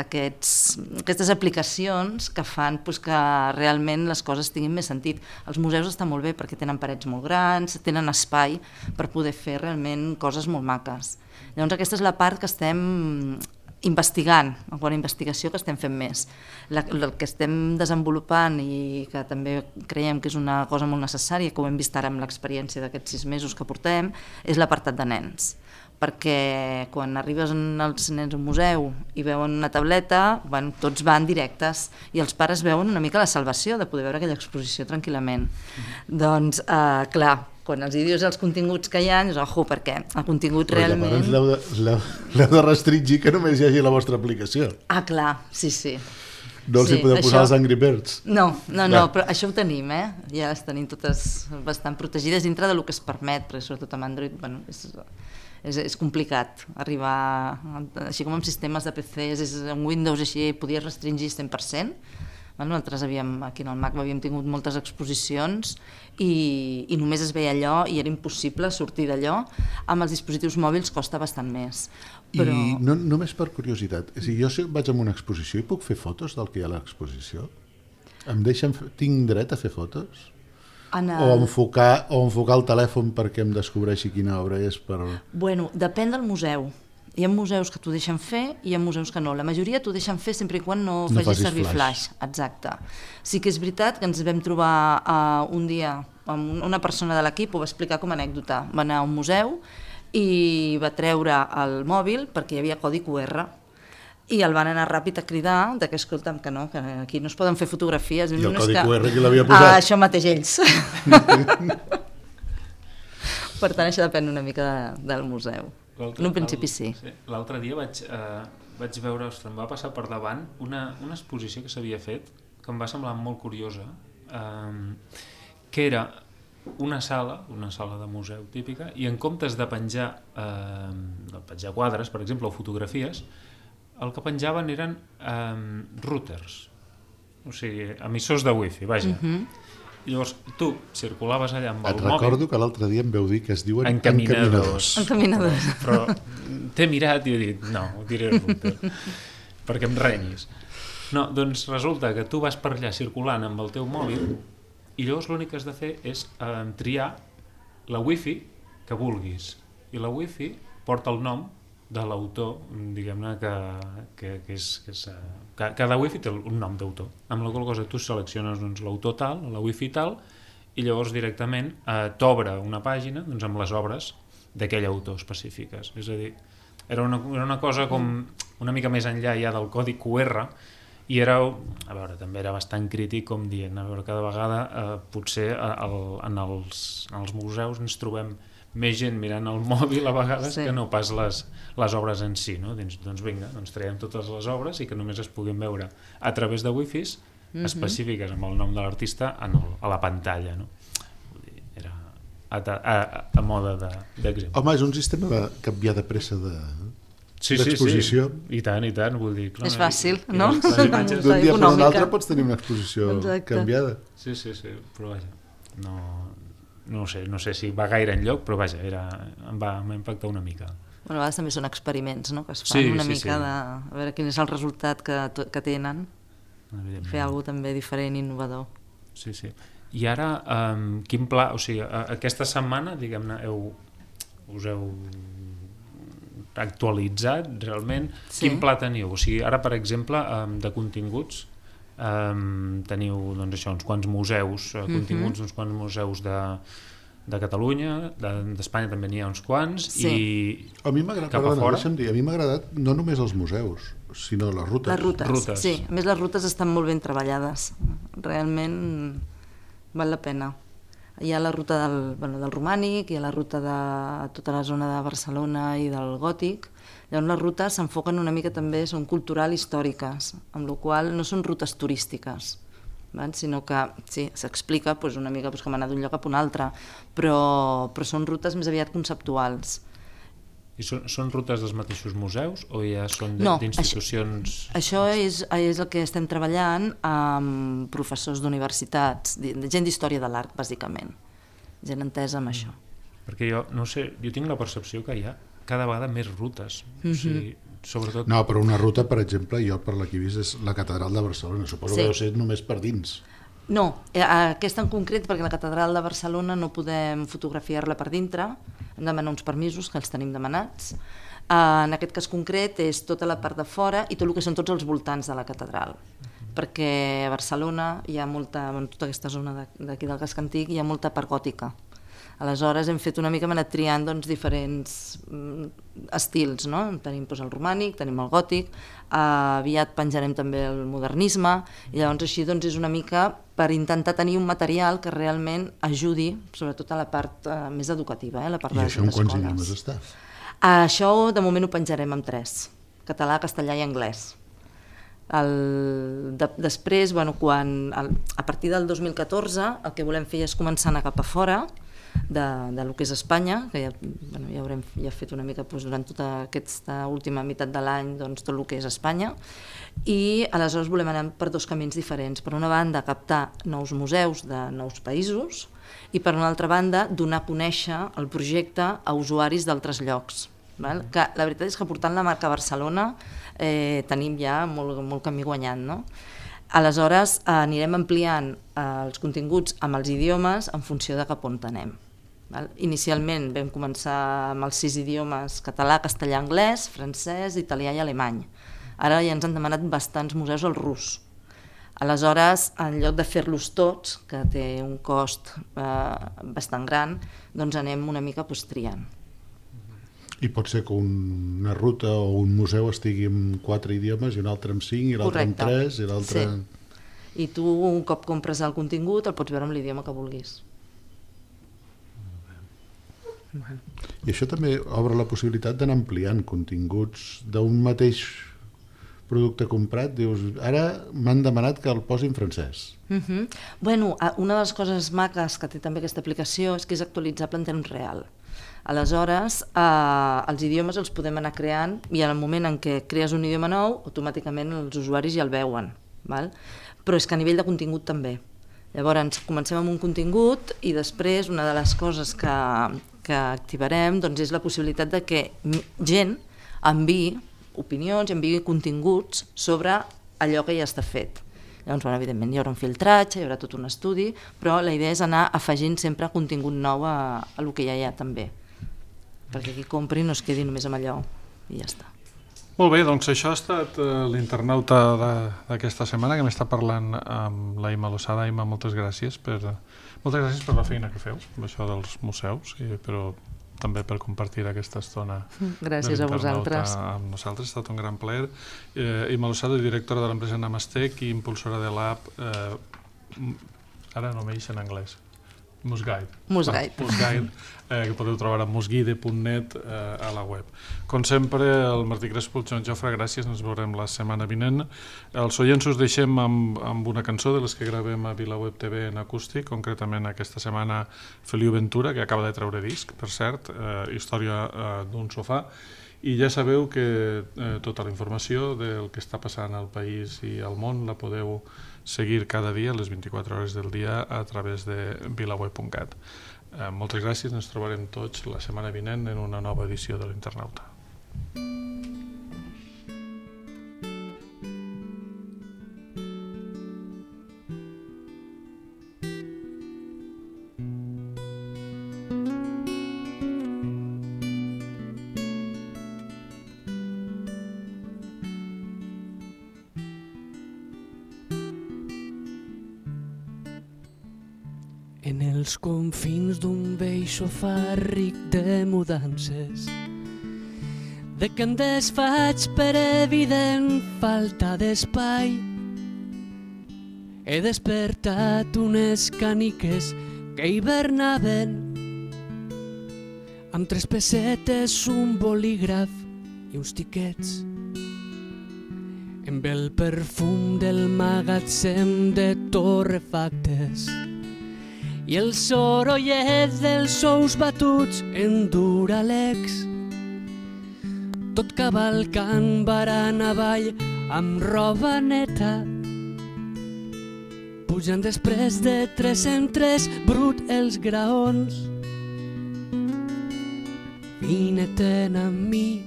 aquestes aplicacions que fan que realment les coses tinguin més sentit. Els museus estan molt bé perquè tenen parets molt grans, tenen espai per poder fer realment coses molt maques. Llavors aquesta és la part que estem investigant, en quant a investigació que estem fent més. El que estem desenvolupant i que també creiem que és una cosa molt necessària, que ho hem vist ara amb l'experiència d'aquests 6 mesos que portem, és l'apartat de nens. Perquè quan arribes els nens a un museu i veuen una tauleta, tots van directes i els pares veuen una mica la salvació de poder veure aquella exposició tranquil·lament. Doncs, clar, quan els dius els continguts que hi ha, dius, ojo, perquè el contingut realment... Però l'heu de restringir que només hi hagi la vostra aplicació. Ah, clar, sí. No els hi podeu posar els Angry Birds. No, però això ho tenim, ja les tenim totes bastant protegides dintre del que es permet, perquè sobretot amb Android, és complicat arribar, així com amb sistemes de PCs, en Windows així podies restringir 100%. Nosaltres aquí en el Mac havíem tingut moltes exposicions i només es veia allò i era impossible sortir d'allò. Amb els dispositius mòbils costa bastant més. Però... I només per curiositat, si jo vaig a una exposició i puc fer fotos del que hi ha a l'exposició? Tinc dret a fer fotos? O enfocar el telèfon perquè em descobreixi quina obra és? Bueno, depèn del museu. Hi ha museus que t'ho deixen fer i hi ha museus que no. La majoria t'ho deixen fer sempre i quan no facis servir flash. Exacte. Sí que és veritat que ens vam trobar un dia amb una persona de l'equip, ho va explicar com a anècdota. Va anar a un museu i va treure el mòbil perquè hi havia codi QR. I el van anar ràpid a cridar que escolta'm, que no, que aquí no es poden fer fotografies. I el codi QR qui l'havia posat? Això mateix ells. Per tant, això depèn una mica del museu. En un principi sí. L'altre dia vaig veure, em va passar per davant una exposició que s'havia fet que em va semblar molt curiosa, que era una sala de museu típica, i en comptes de penjar quadres, per exemple, o fotografies, el que penjaven eren routers, o sigui, emissors de wifi, vaja. I llavors tu circulaves allà amb el mòbil... Et recordo que l'altre dia em veu dir que es diuen encaminadors. Però t'he mirat i he dit, no, ho diré router, perquè em renyis. No, doncs resulta que tu vas per allà circulant amb el teu mòbil i llavors l'únic que has de fer és triar la wifi que vulguis. I la wifi porta el nom de l'autor, diguem-ne, que cada wifi té un nom d'autor, amb la qual cosa tu selecciones l'autor tal, la wifi tal, i llavors directament t'obre una pàgina amb les obres d'aquell autor específiques. És a dir, era una cosa com una mica més enllà ja del codi QR, i era, a veure, també era bastant crític, com dient, a veure, cada vegada potser en els museus ens trobem més gent mirant el mòbil a vegades que no pas les obres en si, no? Doncs vinga, traiem totes les obres i que només es puguin veure a través de wifis específiques amb el nom de l'artista a la pantalla, no? Era a moda d'exemple. Home, és un sistema de canviar de pressa d'exposició. I tant, vull dir... És fàcil, no? D'un dia per un altre pots tenir una exposició canviada. Sí, però vaja, no sé si va gaire enlloc, però vaja, em va impactar una mica. A vegades també són experiments, no?, que es fan una mica de... A veure quin és el resultat que tenen. Fer alguna cosa també diferent i innovador. Sí. I ara, quin pla... O sigui, aquesta setmana, diguem-ne, us heu actualitzat realment? Quin pla teniu? O sigui, ara, per exemple, de continguts, teniu això, uns quants museus, continguts d'uns quants museus de Catalunya, d'Espanya també n'hi ha uns quants, i a mi m'ha agradat no només els museus, sinó les rutes. Les rutes, sí. A més, les rutes estan molt ben treballades. Realment val la pena. Hi ha la ruta del romànic, hi ha la ruta de tota la zona de Barcelona i del gòtic. Llavors les rutes s'enfoquen una mica també, són cultural històriques, amb la qual no són rutes turístiques, sinó que s'explica una mica com anar d'un lloc a un altre, però són rutes més aviat conceptuals. I són rutes dels mateixos museus o ja són d'institucions? Això és el que estem treballant amb professors d'universitats, gent d'història de l'art, bàsicament, gent entesa amb això. Perquè jo, no sé, jo tinc la percepció que hi ha cada vegada més rutes, o sigui, sobretot... No, però una ruta, per exemple, jo per la que he vist és la Catedral de Barcelona, suposo que deu ser només per dins. No, aquesta en concret, perquè la Catedral de Barcelona no podem fotografiar-la per dintre, hem de demanar uns permisos que els tenim demanats. En aquest cas concret és tota la part de fora i tot el que són tots els voltants de la catedral, perquè a Barcelona hi ha molta, en tota aquesta zona d'aquí del casc antic hi ha molta part gòtica. Aleshores hem fet una mica, hem anat triant diferents estils, no? Tenim el romànic, tenim el gòtic, aviat penjarem també el modernisme, i llavors així és una mica per intentar tenir un material que realment ajudi, sobretot a la part més educativa, la part de les escoles. I això en quants idiomes està? Això de moment ho penjarem en 3, català, castellà i anglès. Després, a partir del 2014, el que volem fer és començar a anar cap a fora, del que és Espanya, que ja haurem fet una mica durant tota aquesta última meitat de l'any tot el que és Espanya, i aleshores volem anar per 2 camins diferents. Per una banda, captar nous museus de nous països i per una altra banda, donar a conèixer el projecte a usuaris d'altres llocs. Que la veritat és que portant la marca Barcelona tenim ja molt camí guanyant, no? Aleshores anirem ampliant els continguts amb els idiomes en funció de cap on anem. Inicialment vam començar amb els 6 idiomes: català, castellà, anglès, francès, italià i alemany. Ara ja ens han demanat bastants museus al rus. Aleshores, en lloc de fer-los tots, que té un cost bastant gran, doncs anem una mica triant. I pot ser que una ruta o un museu estigui en 4 idiomes i un altre en 5 i l'altre en 3 i l'altre... Sí. I tu, un cop compres el contingut, el pots veure en l'idioma que vulguis. I això també obre la possibilitat d'anar ampliant continguts d'un mateix producte comprat. Dius, ara m'han demanat que el posi en francès. Bueno, una de les coses maques que té també aquesta aplicació és que és actualitzable en temps real. Aleshores, els idiomes els podem anar creant i en el moment en què crees un idioma nou, automàticament els usuaris ja el veuen. Però és que a nivell de contingut també. Llavors, comencem amb un contingut i després una de les coses que activarem és la possibilitat de que gent enviï opinions, enviï continguts sobre allò que ja està fet. Llavors, evidentment, hi haurà un filtratge, hi haurà tot un estudi, però la idea és anar afegint sempre contingut nou a el que ja hi ha també, perquè qui compri no es quedi només amb allò i ja està. Molt bé, doncs això ha estat l'internauta d'aquesta setmana, que m'està parlant amb la Imma Losada. Imma, moltes gràcies per la feina que feu, amb això dels museus, però també per compartir aquesta estona de l'internauta amb nosaltres. Ha estat un gran plaer. Imma Losada, directora de l'empresa Namastec i impulsora de l'app, ara no m'eix en anglès, Musguide, que podeu trobar a musguide.net a la web. Com sempre, el Martí Crespo, el Joan Jofre, gràcies, ens veurem la setmana vinent. Els oients us deixem amb una cançó de les que gravem a VilaWeb TV en acústic, concretament aquesta setmana Feliu Ventura, que acaba de treure disc, per cert, Història d'un sofà, i ja sabeu que tota la informació del que està passant al país i al món la podeu seguir cada dia, les 24 hores del dia, a través de vilaweb.cat. Moltes gràcies, ens trobarem tots la setmana vinent en una nova edició de l'Internauta. En els confins d'un vell sofà ric de mudances, de que em desfaig per evident falta d'espai, he despertat unes caniques que hibernaven, amb 3 pessetes, un bolígraf i uns tiquets, amb el perfum del magatzem de torrefactes i el sorollet dels ous batuts en Duralex, tot cavalcant barana avall amb roba neta, pujant després de 3 en 3 brut els graons. Vine-te'n amb mi,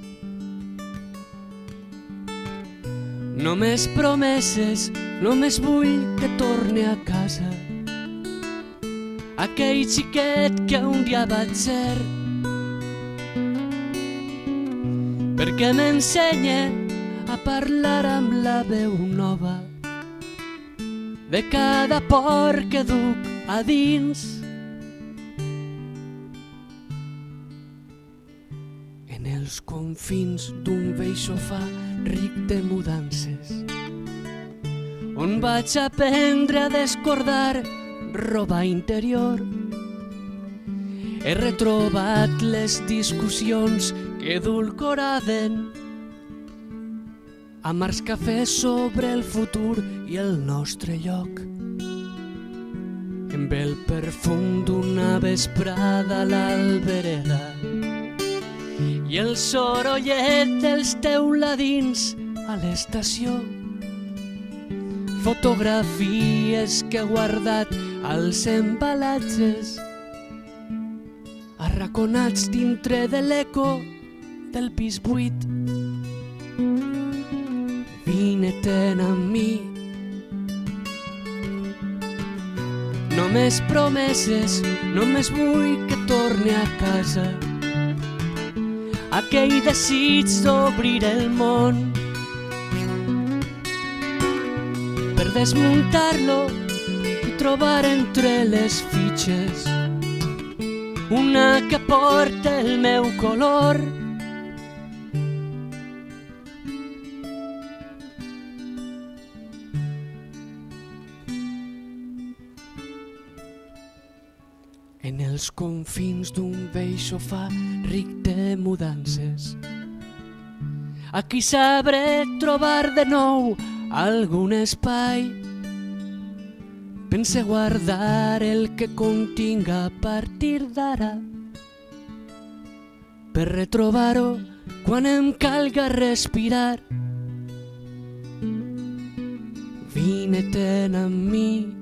només promeses, només vull que torne a casa, aquell xiquet que un dia vaig ser, perquè m'ensenya a parlar amb la veu nova de cada por que duc a dins. En els confins d'un vell sofà ric de mudances, on vaig aprendre a descordar roba interior, he retrobat les discussions que edulcoraven amargs cafès sobre el futur i el nostre lloc. Amb el perfum d'una vesprada a l'albereda i el sorollet dels teuladins a l'estació, fotografies que he guardat als embalatges arraconats dintre de l'eco del pis buit. Vine-te'n amb mi. Només promeses, només vull que torni a casa. Aquell desig d'obrir el món per desmuntar-lo i trobar entre les fitxes una que porta el meu color. En els confins d'un vell sofà ric de mudances, aquí sabré trobar de nou algun espai. Pense guardar el que continga a partir d'ara per retrobar-ho quan em calga respirar. Vine-te'n amb mi.